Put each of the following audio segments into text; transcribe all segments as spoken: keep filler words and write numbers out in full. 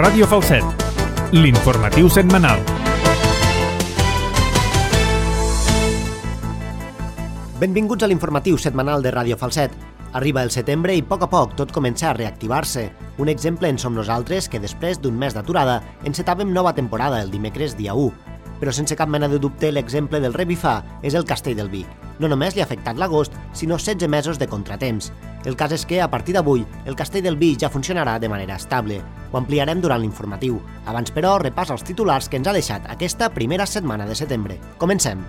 Ràdio Falset, l'informatiu setmanal. Benvinguts a l'informatiu setmanal de Ràdio Falset. Arriba el setembre i a poc a poc tot comença a reactivar-se. Un exemple en som nosaltres que després d'un mes d'aturada encetàvem nova temporada el dimecres dia u. Però sense cap mena de dubte l'exemple del revifar és el Castell del Vi. No només li ha afectat l'agost, sinó setze mesos de contratemps. El cas és que, a partir d'avui, el Castell del Vi ja funcionarà de manera estable. Ho ampliarem durant l'informatiu. Abans, però, repàs els titulars que ens ha deixat aquesta primera setmana de setembre. Comencem!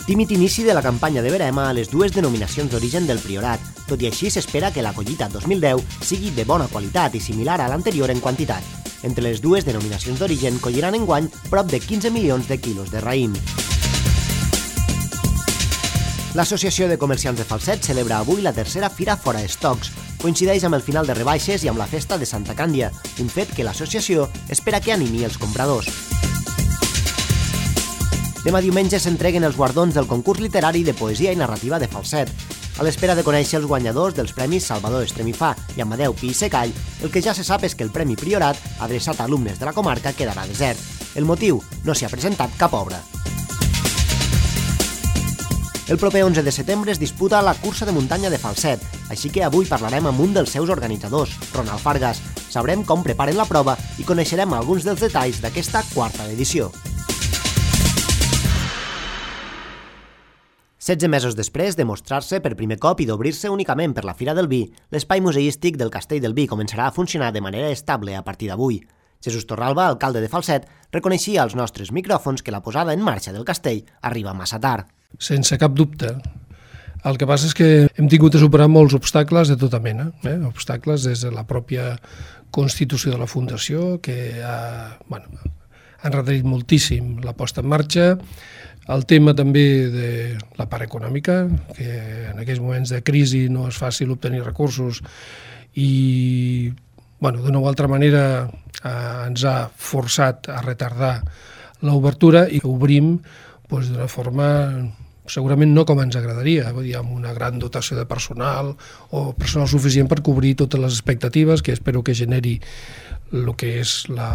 Tímid inici de la campanya de verema a les dues denominacions d'origen del Priorat. Tot i així, s'espera que la collita dos mil deu sigui de bona qualitat i similar a l'anterior en quantitat. Entre les dues denominacions d'origen colliran enguany prop de quinze milions de quilos de raïm. L'Associació de Comerciants de Falset celebra avui la tercera Fira Fora Estocs. Coincideix amb el final de rebaixes i amb la festa de Santa Càndia, un fet que l'associació espera que animi els compradors. Demà diumenge s'entreguen els guardons del concurs literari de poesia i narrativa de Falset. A l'espera de conèixer els guanyadors dels premis Salvador Estremifà i Amadeu Pi i Secall, el que ja se sap és que el Premi Priorat, adreçat a alumnes de la comarca, quedarà desert. El motiu? No s'hi ha presentat cap obra. El proper onze de setembre es disputa la cursa de muntanya de Falset, així que avui parlarem amb un dels seus organitzadors, Ronald Fargas. Sabrem com preparen la prova i coneixerem alguns dels detalls d'aquesta quarta edició. setze mesos després de mostrar-se per primer cop i d'obrir-se únicament per la Fira del Vi, l'espai museístic del Castell del Vi començarà a funcionar de manera estable a partir d'avui. Jesús Torralba, alcalde de Falset, reconeixia als nostres micròfons que la posada en marxa del castell arriba massa tard. Sense cap dubte. El que passa és que hem tingut de superar molts obstacles de tota mena. Eh? Obstacles des de la pròpia constitució de la Fundació, que ha, bueno, ha endarrerit moltíssim la posta en marxa, el tema també de la part econòmica, que en aquells moments de crisi no és fàcil obtenir recursos i, bueno, d'una o altra manera eh, ens ha forçat a retardar l'obertura i obrim doncs, d'una forma segurament no com ens agradaria, vull dir, amb una gran dotació de personal o personal suficient per cobrir totes les expectatives que espero que generi el que és la,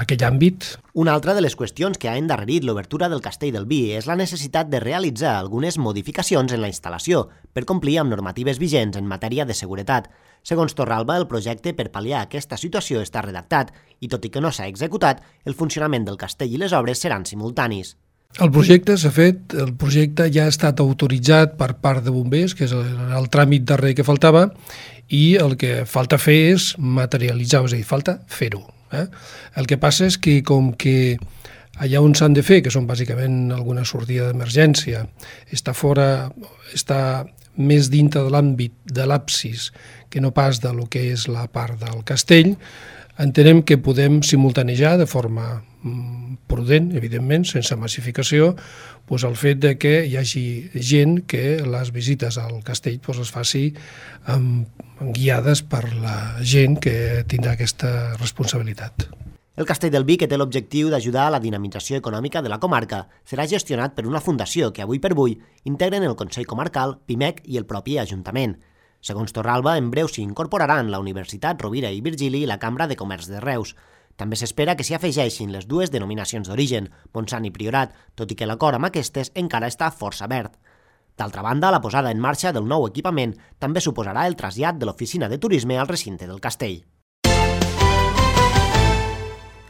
aquell àmbit. Una altra de les qüestions que ha endarrerit l'obertura del Castell del Vi és la necessitat de realitzar algunes modificacions en la instal·lació per complir amb normatives vigents en matèria de seguretat. Segons Torralba, el projecte per pal·liar aquesta situació està redactat i, tot i que no s'ha executat, el funcionament del castell i les obres seran simultanis. El projecte s'ha fet, el projecte ja ha estat autoritzat per part de bombers, que és el, el tràmit darrer que faltava, i el que falta fer és materialitzar, és a dir, falta fer-ho. Eh? El que passa és que com que allà on s'han de fer, que són bàsicament alguna sortida d'emergència, està fora, està més dintre de l'àmbit de l'absis que no pas de lo que és la part del castell, entenem que podem simultanejar de forma prudent, evidentment, sense massificació, doncs el fet de que hi hagi gent que les visites al castell doncs es faci amb, guiades per la gent que tindrà aquesta responsabilitat. El Castell del Vi, que té l'objectiu d'ajudar a la dinamització econòmica de la comarca, serà gestionat per una fundació que avui per avui integren el Consell Comarcal, Pimec i el propi Ajuntament. Segons Torralba, en breu s'hi incorporaran la Universitat Rovira i Virgili i la Cambra de Comerç de Reus. També s'espera que s'hi afegeixin les dues denominacions d'origen, Montsant i Priorat, tot i que l'acord amb aquestes encara està força verd. D'altra banda, la posada en marxa del nou equipament també suposarà el trasllat de l'oficina de turisme al recinte del castell.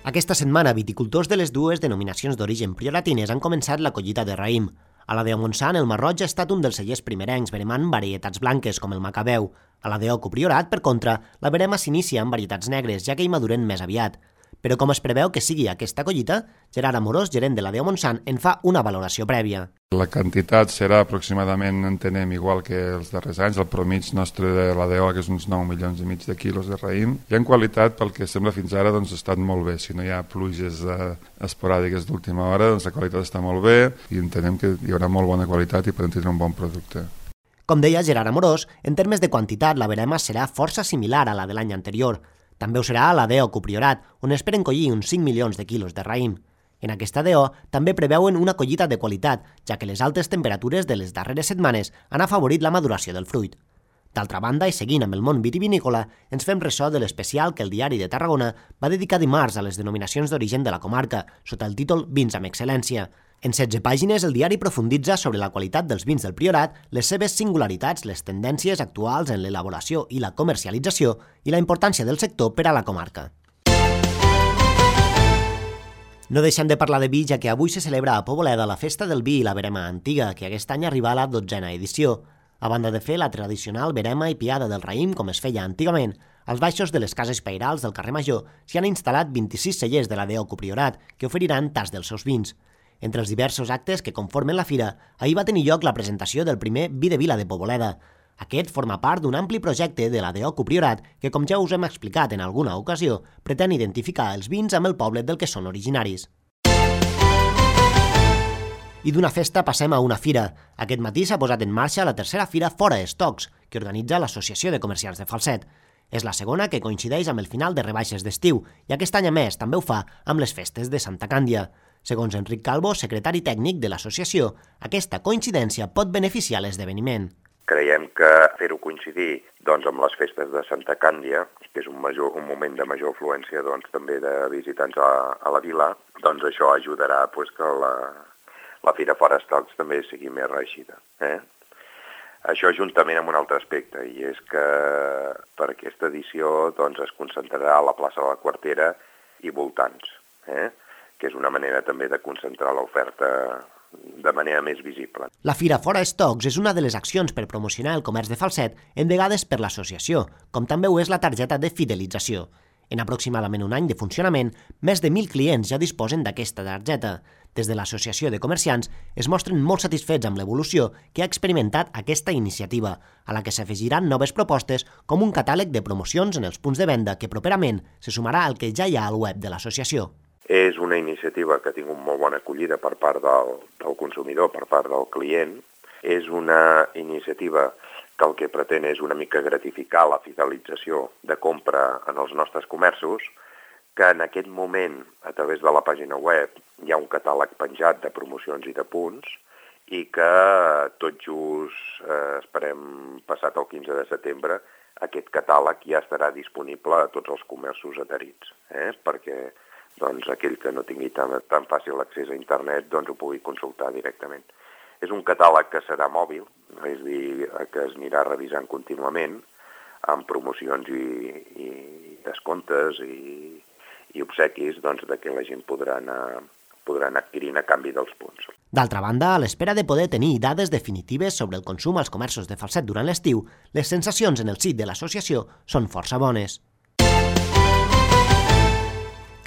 Aquesta setmana, viticultors de les dues denominacions d'origen prioratines han començat la collita de raïm. A la de Montsant, el Marroig ha estat un dels cellers primerencs, veremant varietats blanques com el Macabeu. A la de Oco Priorat, per contra, la verema s'inicia amb varietats negres, ja que hi maduren més aviat. Però com es preveu que sigui aquesta collita, Gerard Amorós, gerent de la de Montsant, en fa una valoració prèvia. La quantitat serà aproximadament, entenem, igual que els darrers anys. El promig nostre de la de O, que és uns nou milions i mig de quilos de raïm. I en qualitat, pel que sembla fins ara, doncs, ha estat molt bé. Si no hi ha pluges eh, esporàdiques d'última hora, doncs la qualitat està molt bé i entenem que hi haurà molt bona qualitat i podem tindre un bon producte. Com deia Gerard Amorós, en termes de quantitat, la verema serà força similar a la de l'any anterior. També ho serà a la de Oco Priorat, on esperen collir uns cinc milions de quilos de raïm. En aquesta D O també preveuen una collita de qualitat, ja que les altes temperatures de les darreres setmanes han afavorit la maduració del fruit. D'altra banda, i seguint amb el món vitivinícola, ens fem ressò de l'especial que el Diari de Tarragona va dedicar dimarts a les denominacions d'origen de la comarca, sota el títol Vins amb excel·lència. En setze pàgines, el diari profunditza sobre la qualitat dels vins del Priorat, les seves singularitats, les tendències actuals en l'elaboració i la comercialització i la importància del sector per a la comarca. No deixem de parlar de vi, ja que avui se celebra a Poboleda la Festa del Vi i la Verema Antiga, que aquest any arriba a la dotzena edició. A banda de fer la tradicional verema i piada del raïm, com es feia antigament, als baixos de les cases pairals del carrer Major s'hi han instal·lat vint-i-sis cellers de la D O Copriorat, que oferiran tas dels seus vins. Entre els diversos actes que conformen la fira, ahir va tenir lloc la presentació del primer Vi de Vila de Poboleda. Aquest forma part d'un ampli projecte de la D O Copriorat que, com ja us hem explicat en alguna ocasió, pretén identificar els vins amb el poble del que són originaris. I d'una festa passem a una fira. Aquest matí s'ha posat en marxa la tercera fira Fora Estocs, que organitza l'Associació de Comerciants de Falset. És la segona que coincideix amb el final de rebaixes d'estiu, i aquest any a més també ho fa amb les festes de Santa Càndia. Segons Enric Calvo, secretari tècnic de l'associació, aquesta coincidència pot beneficiar l'esdeveniment. Creiem que fer-ho coincidir doncs, amb les festes de Santa Càndia, que és un, major, un moment de major afluència doncs, també de visitants a, a la vila, doncs això ajudarà pues, que la, la Fira Fora Estocs també sigui més reeixida. Eh? Això juntament amb un altre aspecte, i és que per aquesta edició doncs, es concentrarà a la plaça de la Quartera i voltants, eh? que és una manera també de concentrar l'oferta de manera més visible. La Fira Fora Estocs és una de les accions per promocionar el comerç de Falset endegades per l'associació, com també ho és la targeta de fidelització. En aproximadament un any de funcionament, més de mil clients ja disposen d'aquesta targeta. Des de l'Associació de Comerciants es mostren molt satisfets amb l'evolució que ha experimentat aquesta iniciativa, a la que s'afegiran noves propostes com un catàleg de promocions en els punts de venda que properament se sumarà al que ja hi ha al web de l'associació. És una iniciativa que ha tingut molt bona acollida per part del, del consumidor, per part del client. És una iniciativa que el que pretén és una mica gratificar la fidelització de compra en els nostres comerços, que en aquest moment, a través de la pàgina web, hi ha un catàleg penjat de promocions i de punts, i que tot just, eh, esperem, passat el quinze de setembre, aquest catàleg ja estarà disponible a tots els comerços adherits, eh? perquè doncs aquell que no tingui tan, tan fàcil accés a internet doncs ho pugui consultar directament. És un catàleg que serà mòbil, és a dir, que es anirà revisant contínuament amb promocions i, i descomptes i, i obsequis doncs, de que la gent podrà anar, podrà anar adquirint a canvi dels punts. D'altra banda, a l'espera de poder tenir dades definitives sobre el consum als comerços de Falset durant l'estiu, les sensacions en el sit de l'associació són força bones.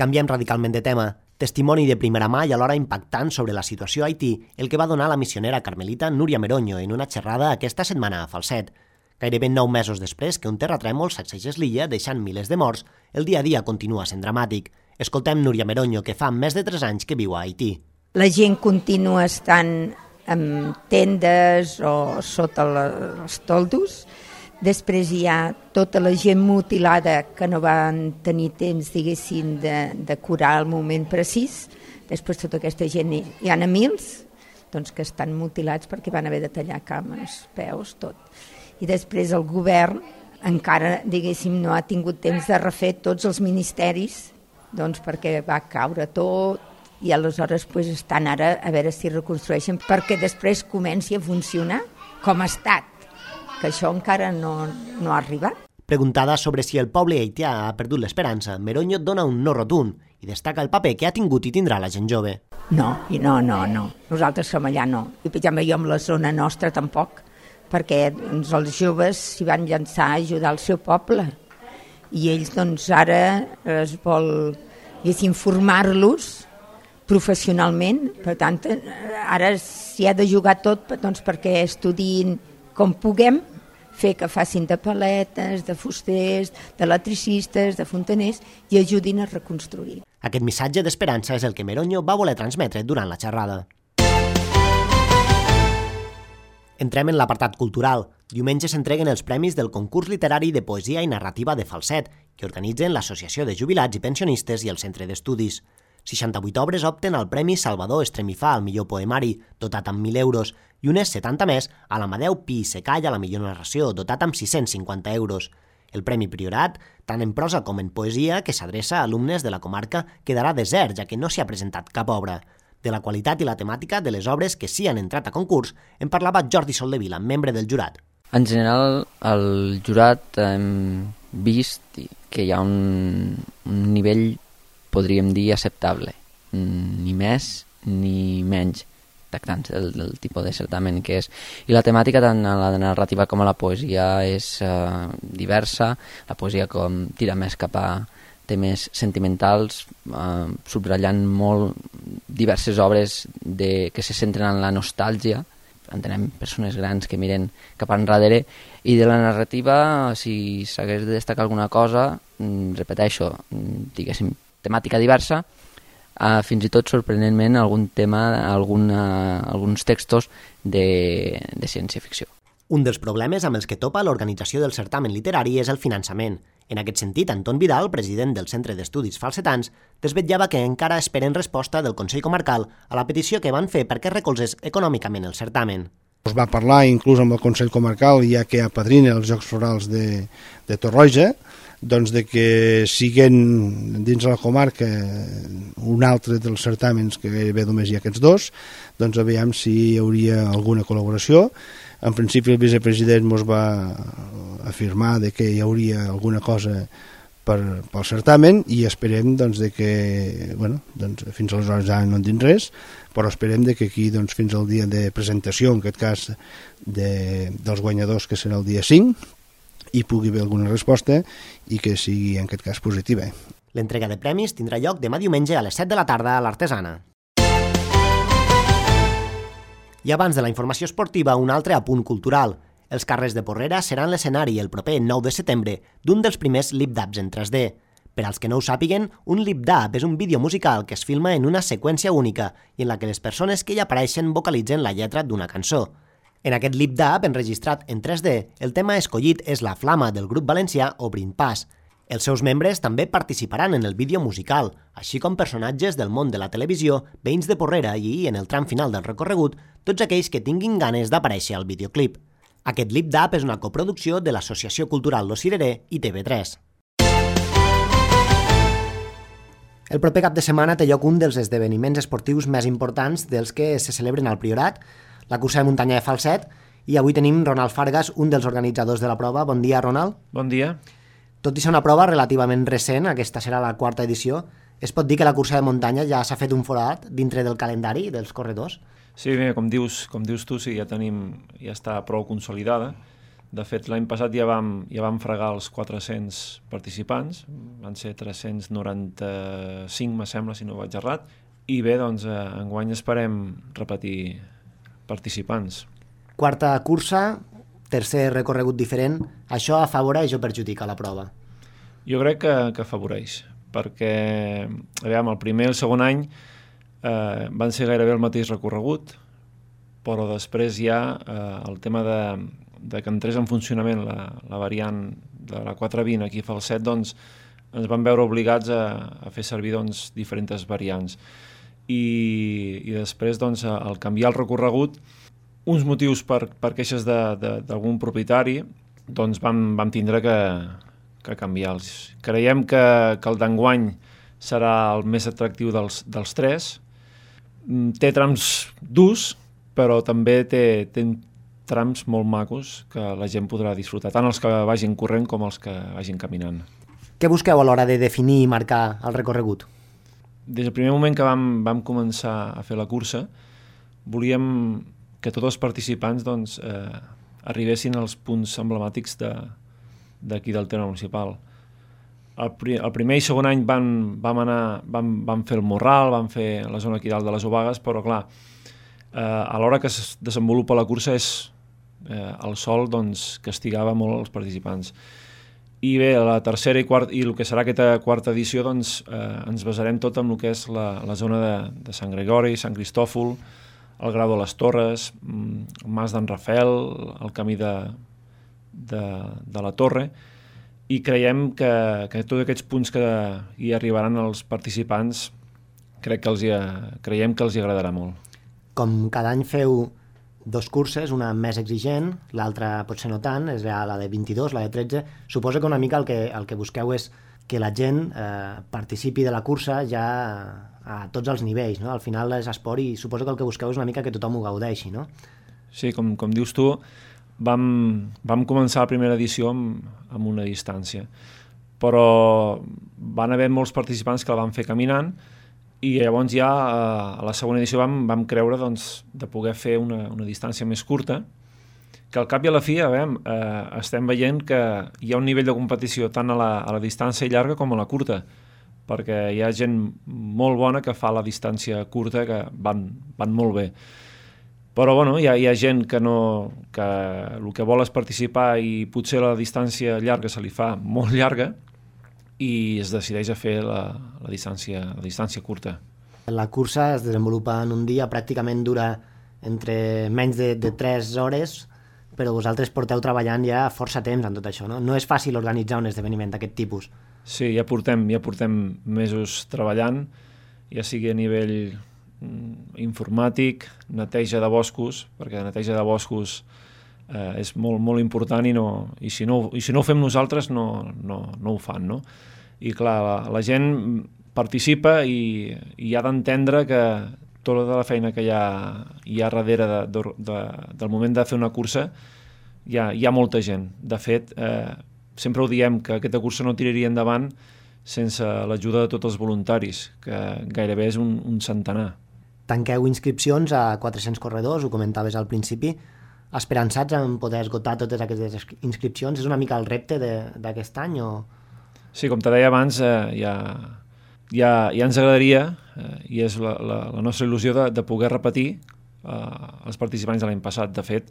Canviem radicalment de tema. Testimoni de primera mà i alhora impactant sobre la situació a Haití, el que va donar la missionera carmelita Núria Meroño en una xerrada aquesta setmana a Falset. Gairebé nou mesos després que un terratrèmol sacsegés l'illa deixant milers de morts, el dia a dia continua sent dramàtic. Escoltem Núria Meroño, que fa més de tres anys que viu a Haití. La gent continua estant en tendes o sota els toldos. Després hi ha tota la gent mutilada que no van tenir temps, diguéssim, de, de curar el moment precís. Després tota aquesta gent, hi ha a mils, doncs, que estan mutilats perquè van haver de tallar cames, peus, tot. I després el govern encara, diguéssim, no ha tingut temps de refer tots els ministeris, doncs perquè va caure tot, i aleshores pues, estan ara a veure si reconstrueixen perquè després comenci a funcionar com ha estat, que això encara no, no ha arribat. Preguntada sobre si el poble haitià ha perdut l'esperança, Meroño dona un no rotund i destaca el paper que ha tingut i tindrà la gent jove. No, i no, no, no. Nosaltres som allà no. I per exemple, jo amb la zona nostra tampoc, perquè doncs, els joves s'hi van llançar a ajudar el seu poble. I ells doncs ara es vol informar-los professionalment, per tant, ara s'hi ha de jugar tot doncs, perquè estudin com puguem, fer que facin de paletes, de fusters, d'electricistes, de fontaners i ajudin a reconstruir. Aquest missatge d'esperança és el que Meroño va voler transmetre durant la xerrada. Entrem en l'apartat cultural. Diumenge s'entreguen els premis del concurs literari de poesia i narrativa de Falset, que organitzen l'Associació de Jubilats i Pensionistes i el Centre d'Estudis. seixanta-vuit obres opten al Premi Salvador Estremifà al millor poemari, dotat amb mil euros, i unes setanta més a l'Amadeu Pi i Secall a la millor narració, dotat amb sis-cents cinquanta euros. El Premi Priorat, tant en prosa com en poesia, que s'adreça a alumnes de la comarca, quedarà desert, ja que no s'hi ha presentat cap obra. De la qualitat i la temàtica de les obres que sí han entrat a concurs en parlava Jordi Soldevila, membre del jurat. En general, el jurat hem vist que hi ha un, un nivell, podríem dir, acceptable. Ni més ni menys, tractant el, el tipus de certamen que és. I la temàtica, tant a la narrativa com a la poesia, és uh, diversa. La poesia com tira més cap a temes sentimentals, uh, subratllant molt diverses obres de, que se centren en la nostàlgia. Entenem persones grans que miren cap enrere, i de la narrativa, si s'hagués de destacar alguna cosa, repeteixo, diguéssim, temàtica diversa, uh, fins i tot sorprenentment algun tema, alguna, alguns textos de, de ciència-ficció. Un dels problemes amb els que topa l'organització del certamen literari és el finançament. En aquest sentit, Anton Vidal, president del Centre d'Estudis Falsetans, desvetllava que encara esperen resposta del Consell Comarcal a la petició que van fer perquè recolzés econòmicament el certamen. Es va parlar inclús amb el Consell Comarcal, ja que apadrina els Jocs Florals de, de Torroja, doncs de que siguen dins de la comarca un altre dels certàmens, que gairebé només hi ha aquests dos, doncs aviam si hi hauria alguna col·laboració. En principi el vicepresident ens va afirmar de que hi hauria alguna cosa per, pel certamen, i esperem doncs, de que, bueno, doncs, fins aleshores ja no en dic res, però esperem de que aquí doncs, fins al dia de presentació, en aquest cas de, dels guanyadors, que serà el dia cinc, hi pugui haver alguna resposta i que sigui en aquest cas positiva. L'entrega de premis tindrà lloc demà diumenge a les set de la tarda a l'Artesana. I abans de la informació esportiva, un altre apunt cultural. Els carrers de Porrera seran l'escenari el proper nou de setembre d'un dels primers lip-dubs en tres D. Per als que no ho sàpiguen, un lip-dub és un vídeo musical que es filma en una seqüència única i en la que les persones que hi apareixen vocalitzen la lletra d'una cançó. En aquest lip-dub, enregistrat en tres D, el tema escollit és La Flama del grup valencià Obrint Pas. Els seus membres també participaran en el vídeo musical, així com personatges del món de la televisió, veïns de Porrera i, en el tram final del recorregut, tots aquells que tinguin ganes d'aparèixer al videoclip. Aquest lip-dub és una coproducció de l'Associació Cultural Lo Cireré i T V tres. El proper cap de setmana té lloc un dels esdeveniments esportius més importants dels que se celebren al Priorat, la cursa de muntanya de Falset, i avui tenim Ronald Fargas, un dels organitzadors de la prova. Bon dia, Ronald. Bon dia. Tot i ser una prova relativament recent, aquesta serà la quarta edició, es pot dir que la cursa de muntanya ja s'ha fet un forat dintre del calendari dels corredors? Sí, bé, com dius, com dius tu, sí, ja tenim, ja està prou consolidada. De fet, l'any passat ja vam, ja vam fregar els quatre-cents participants, van ser tres-cents noranta-cinc, me sembla, si no vaig errat, i bé, doncs, eh, enguany esperem repetir participants. Quarta cursa, tercer recorregut diferent, això afavoreix o perjudica la prova? Jo crec que, que afavoreix, perquè aviam, el primer i el segon any eh, van ser gairebé el mateix recorregut, però després ja eh, el tema de, de que entrés en funcionament la, la variant de la quatre vint aquí a Falset, doncs ens van veure obligats a, a fer servir doncs, diferents variants. I, i després, doncs, al canviar el recorregut, uns motius per, per queixes d'algun propietari, doncs vam, vam tindre que, que canviar-los. Creiem que, que el d'enguany serà el més atractiu dels, dels tres. Té trams durs, però també té, té trams molt macos que la gent podrà disfrutar, tant els que vagin corrent com els que vagin caminant. Què busqueu a l'hora de definir i marcar el recorregut? Des del primer moment que vam, vam començar a fer la cursa, volíem que tots els participants doncs, eh, arribessin als punts emblemàtics d'aquí de, del terme municipal. El, pri, el primer i segon any van, vam, anar, vam, vam fer el Morral, vam fer la zona aquí dalt de les Obagues, però clar, eh, a l'hora que es desenvolupa la cursa és eh, el sol doncs, castigava molt els participants. I bé, la tercera i quarta, i el que serà aquesta quarta edició, doncs, eh, ens basarem tot en el que és la, la zona de, de Sant Gregori, Sant Cristòfol, el Grau de les Torres, el Mas d'en Rafel, el camí de, de, de la Torre, i creiem que, que tots aquests punts que hi arribaran els participants crec que els hi, creiem que els hi agradarà molt. Com cada any feu dos curses, una més exigent, l'altra potser no tant, és la de vint-i-dos, la de tretze. Suposo que una mica el que, el que busqueu és que la gent eh, participi de la cursa ja a tots els nivells, no? Al final és esport i suposo que el que busqueu és una mica que tothom ho gaudeixi, no? Sí, com, com dius tu, vam, vam començar la primera edició amb, amb una distància, però van haver molts participants que la van fer caminant i llavors ja a la segona edició vam, vam creure doncs, de poder fer una, una distància més curta, que al cap i a la fi veiem, eh, estem veient que hi ha un nivell de competició tant a la, a la distància llarga com a la curta, perquè hi ha gent molt bona que fa la distància curta que van, van molt bé. Però bueno, hi ha, hi ha gent que, no, que el que vol és participar i potser la distància llarga se li fa molt llarga i es decideix a fer la, la, distància, la distància curta. La cursa es desenvolupa en un dia, pràcticament dura entre menys de, de tres hores, però vosaltres porteu treballant ja força temps en tot això, no? No és fàcil organitzar un esdeveniment d'aquest tipus. Sí, ja portem, ja portem mesos treballant, ja sigui a nivell informàtic, neteja de boscos, perquè la neteja de boscos eh, és molt, molt important i, no, i, si no, i si no ho fem nosaltres no, no, no ho fan, no? I clar, la, la gent participa i, i ha d'entendre que tota la feina que hi ha, hi ha darrere de, de, de, del moment de fer una cursa hi ha, hi ha molta gent. De fet, eh, sempre ho diem que aquesta cursa no tiraria endavant sense l'ajuda de tots els voluntaris, que gairebé és un, un centenar. Tanqueu inscripcions a quatre-cents corredors, ho comentaves al principi, esperançats en poder esgotar totes aquestes inscripcions. És una mica el repte d'aquest any? O... Sí, com te deia abans, eh, ja, ja, ja ens agradaria, eh, i és la, la, la nostra il·lusió de, de poder repetir eh, els participants de l'any passat. De fet,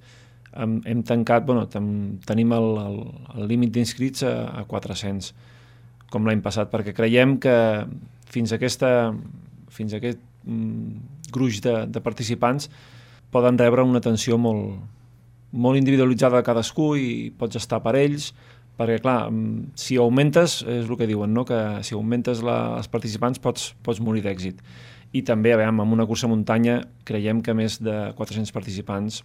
hem, hem tancat, bueno, ten, tenim el, el, el límit d'inscrits a, a quatre-cents, com l'any passat, perquè creiem que fins a, aquesta, fins a aquest mm, gruix de, de participants poden rebre una atenció molt, molt individualitzada a cadascú i pots estar per ells, perquè clar, si augmentes, és el que diuen, no? Que si augmentes la, els participants pots, pots morir d'èxit. I també, a veure, amb una cursa muntanya creiem que més de quatre-cents participants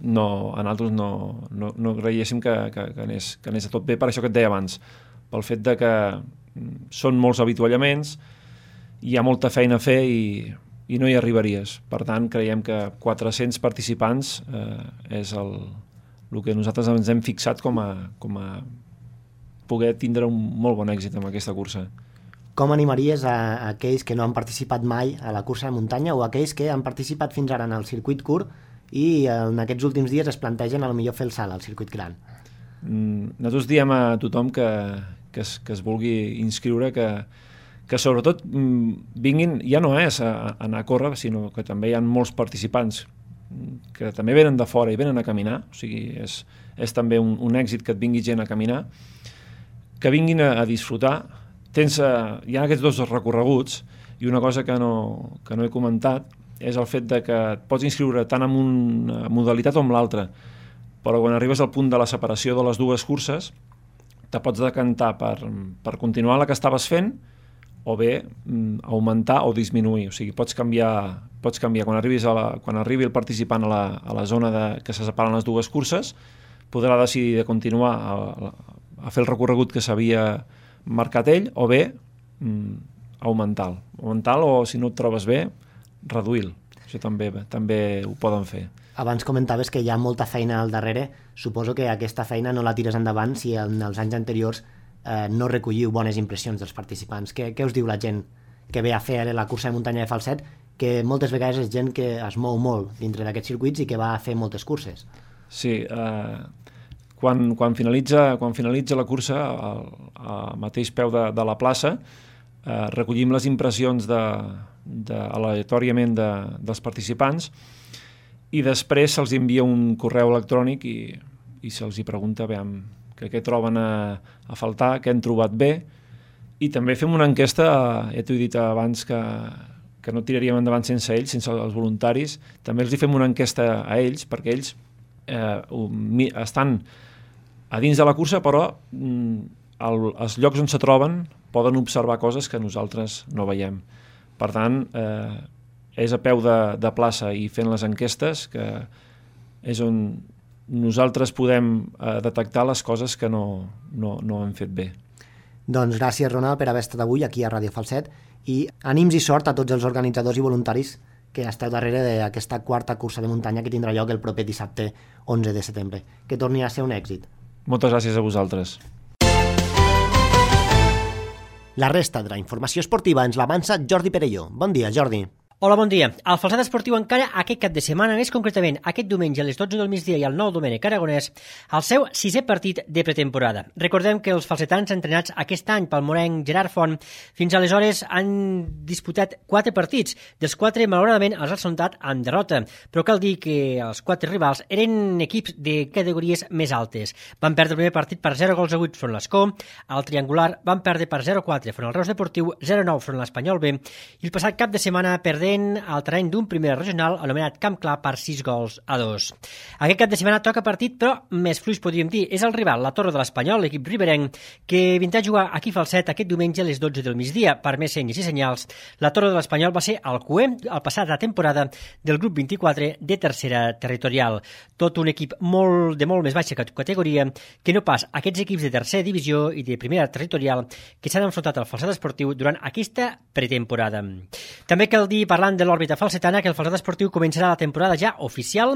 no, a nosaltres no, no, no creiéssim que, que, que, anés, que anés a tot bé, per això que et deia abans, pel fet de que són molts avituallaments, hi ha molta feina a fer i, i no hi arribaries. Per tant, creiem que quatre-cents participants eh, és el, el que nosaltres ens hem fixat com a, com a poder tindre un molt bon èxit amb aquesta cursa. Com animaries a, a aquells que no han participat mai a la cursa de muntanya o a aquells que han participat fins ara en el circuit curt i en aquests últims dies es plantegen a lo millor fer el salt al circuit gran? Mm, nosaltres diem a tothom que, que, es, que es vulgui inscriure que, que sobretot mm, vinguin, ja no és a, a anar a córrer, sinó que també hi ha molts participants que també venen de fora i venen a caminar, o sigui, és, és també un, un èxit que et vingui gent a caminar, que vinguin a, a disfrutar. Tens, uh, hi ha aquests dos recorreguts i una cosa que no, que no he comentat és el fet de que et pots inscriure tant en una modalitat com l'altra, però quan arribes al punt de la separació de les dues curses te pots decantar per, per continuar la que estaves fent o bé mm, augmentar o disminuir, o sigui, pots canviar, pots canviar. Quan, arribis a la, quan arribi el participant a la, a la zona de, que se separen les dues curses, podrà decidir de continuar a, a, a fer el recorregut que s'havia marcat ell, o bé mm, augmentar-lo. Augmentar-lo, o si no et trobes bé, reduir-lo. Això també, també ho poden fer. Abans comentaves que hi ha molta feina al darrere. Suposo que aquesta feina no la tires endavant si en els anys anteriors eh, no recolliu bones impressions dels participants. Què, què us diu la gent que ve a fer la cursa de muntanya de Falset? Que moltes vegades és gent que es mou molt dintre d'aquests circuits i que va a fer moltes curses. Sí, eh, quan, quan, finalitza, quan finalitza la cursa, al, al mateix peu de, de la plaça, eh, recollim les impressions de, de, aleatòriament de, dels participants i després se'ls envia un correu electrònic i, i se'ls hi pregunta veiem, que què troben a, a faltar, què han trobat bé, i també fem una enquesta, ja t'ho he dit abans que, que no tiraríem endavant sense ells, sense els voluntaris, també els hi fem una enquesta a ells, perquè ells eh, estan a dins de la cursa, però mm, el, els llocs on se troben poden observar coses que nosaltres no veiem. Per tant, eh, és a peu de, de plaça i fent les enquestes que és on nosaltres podem eh, detectar les coses que no, no, no hem fet bé. Doncs gràcies, Ronald, per haver estat avui aquí a Ràdio Falset i ànims i sort a tots els organitzadors i voluntaris que esteu darrere d'aquesta quarta cursa de muntanya que tindrà lloc el proper dissabte onze de setembre. Que torni a ser un èxit. Moltes gràcies a vosaltres. La resta de la informació esportiva ens l'avança Jordi Perelló. Bon dia, Jordi. Hola, bon dia. El Falset Esportiu encara aquest cap de setmana, més concretament aquest diumenge a les dotze del migdia i al nou Domènec Aragonès, el seu sisè partit de pretemporada. Recordem que els falsetans entrenats aquest any pel morenc Gerard Font fins aleshores han disputat quatre partits, dels quatre malauradament els han soltat amb derrota, però cal dir que els quatre rivals eren equips de categories més altes. Van perdre el primer partit per zero gols a vuit front l'Escó, al triangular van perdre per zero a quatre front el Reus Deportiu, zero a nou front l'Espanyol B, i el passat cap de setmana perdent al terreny d'un primer regional anomenat Camp Clar per sis gols a dos. Aquest cap de setmana toca partit, però més fluix podríem dir. És el rival, la Torre de l'Espanyol, l'equip riberenc, que vindrà a jugar aquí a Falset aquest diumenge a les dotze del migdia. Per més senyes i senyals, la Torre de l'Espanyol va ser el cuer al passat la temporada del grup vint-i-quatre de tercera territorial. Tot un equip molt, de molt més baixa categoria que no pas aquests equips de tercera divisió i de primera territorial que s'han enfrontat al Falset Esportiu durant aquesta pretemporada. També cal dir, parlant de l'òrbita falsetana, que el Falset Esportiu començarà la temporada ja oficial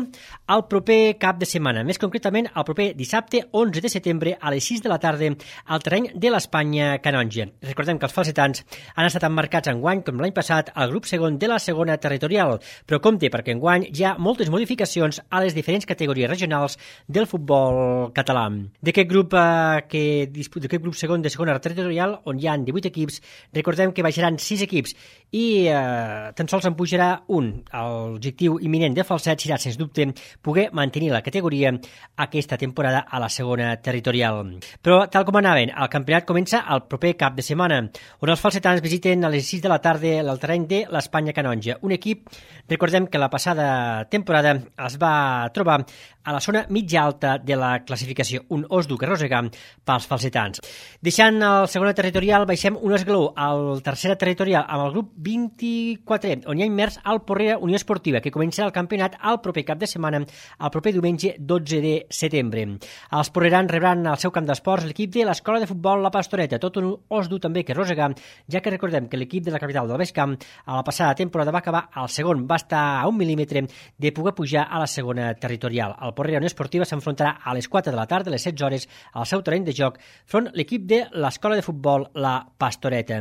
el proper cap de setmana, més concretament el proper dissabte onze de setembre a les sis de la tarda al terreny de l'Espanya Canonja. Recordem que els falsetans han estat emmarcats enguany, com l'any passat, al grup segon de la segona territorial, però compte perquè enguany hi ha moltes modificacions a les diferents categories regionals del futbol català. D'aquest grup, eh, que, d'aquest grup segon de segona territorial, on hi ha divuit equips, recordem que baixaran sis equips i eh, tan sols en pujarà un. L'objectiu imminent de Falset serà, sens dubte, poder mantenir la categoria aquesta temporada a la segona territorial. Però, tal com anaven, el campionat comença el proper cap de setmana, on els falsetans visiten a les sis de la tarda el terreny de l'Espanya Canonja. Un equip, recordem que la passada temporada es va trobar a la zona mitja alta de la classificació, un os dur que arrossegar pels falsetans. Deixant el segona territorial, baixem un esglaó al tercera territorial amb el grup vint-i-quatre, on hi ha immers al Porrera Unió Esportiva, que començarà el campionat el proper cap de setmana, el proper diumenge dotze de setembre. Els porrerans rebran al seu camp d'esports l'equip de l'Escola de Futbol La Pastoreta, tot un os dur també que arrossegar, ja que recordem que l'equip de la capital del Baix Camp a la passada temporada va acabar al segon, va estar a un mil·límetre de poder pujar a la segona territorial. El Porrera Unió Esportiva s'enfrontarà a les quatre de la tarda, a les setze hores, al seu terreny de joc, front l'equip de l'Escola de Futbol La Pastoreta.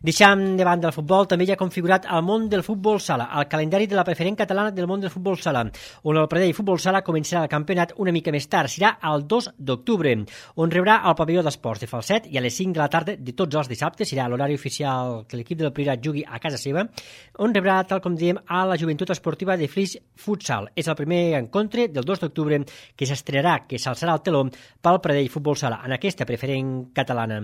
Deixant de banda el futbol, també hi ha configurat el món del futbol sala, el calendari de la preferent catalana del món del futbol sala, on el Pradell Futbol Sala començarà el campionat una mica més tard, serà el dos d'octubre, on rebrà el pavelló d'esports de Falset i a les cinc de la tarda de tots els dissabtes, serà l'horari oficial que l'equip del Priorat jugui a casa seva, on rebrà, tal com diem, a la Joventut Esportiva de Flix Futsal. És el primer encontre del dos d'octubre que s'estrenarà, que s'alçarà el teló pel Pradell Futbol Sala, en aquesta preferent catalana.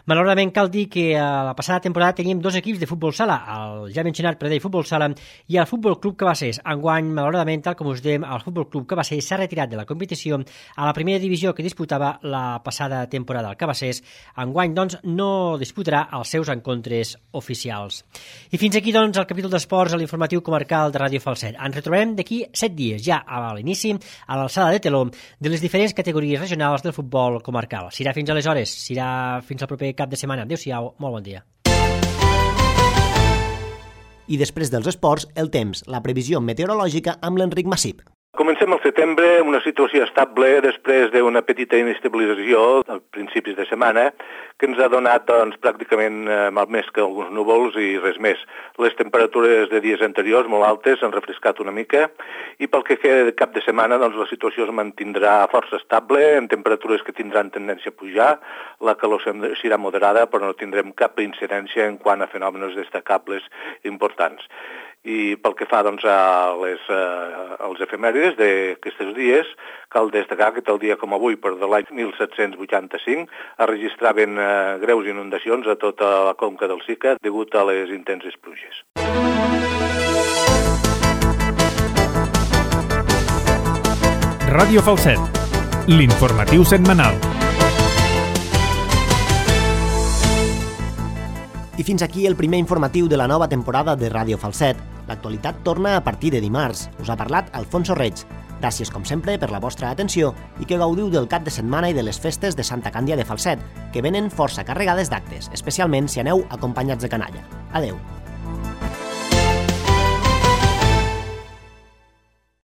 Malauradament cal dir que a la passada temporada teníem dos equips de futbol sala, el ja mencionat Pradell Futbol Sala i el Futbol Club Cabassers. Enguany, malauradament, tal com us dèiem, el Futbol Club Cabassers s'ha retirat de la competició a la primera divisió que disputava la passada temporada. El Cabassers, enguany, doncs, no disputarà els seus encontres oficials. I fins aquí, doncs, el capítol d'esports a l'informatiu comarcal de Ràdio Falset. Ens retrobem d'aquí set dies, ja a l'inici, a l'alçada de teló de les diferents categories regionals del futbol comarcal. Serà fins aleshores, serà fins al proper cap de setmana. Adéu-siau, molt bon dia. I després dels esports, el temps, la previsió meteorològica amb l'Enric Massip. Comencem al setembre, una situació estable després d'una petita inestabilització a principis de setmana que ens ha donat doncs, pràcticament eh, mal més que alguns núvols i res més. Les temperatures de dies anteriors molt altes han refrescat una mica i pel que queda de cap de setmana doncs, la situació es mantindrà força estable, amb temperatures que tindran tendència a pujar, la calor serà moderada però no tindrem cap incidència en quant a fenòmenos destacables importants. I pel que fa doncs, a les, eh, als efemèrides d'aquests dies, cal destacar que tal dia com avui, per de l'any mil set-cents vuitanta-cinc, es registraven eh, greus inundacions a tota la conca del Sica degut a les intenses pluges. Ràdio Falset, l'informatiu setmanal. I fins aquí el primer informatiu de la nova temporada de Ràdio Falset. L'actualitat torna a partir de dimarts. Us ha parlat Alfonso Reig. Gràcies, com sempre, per la vostra atenció i que gaudiu del cap de setmana i de les festes de Santa Càndia de Falset, que venen força carregades d'actes, especialment si aneu acompanyats de canalla. Adeu.